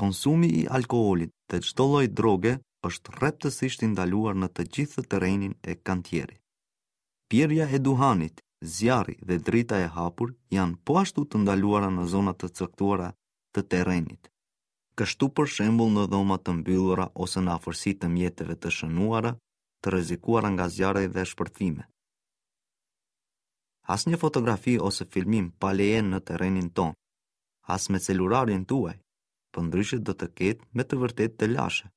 Konsumi i alkoolit dhe çdo lloj droge është rreptësisht i ndaluar në të gjithë terrenin e kantierit. Pirja e duhanit, zjarri dhe drita e hapur janë po ashtu të ndaluara në zona të caktuara të terrenit. Kështu për shembull në dhoma të mbyllura ose në afërsi të mjeteve të shënuara, të rrezikuara nga zjarri dhe shpërthime. Asnjë fotografi ose filmim pa leje në terrenin tonë, as me celularin tuaj, përndryshe do të ketë me të vërtetë telashe.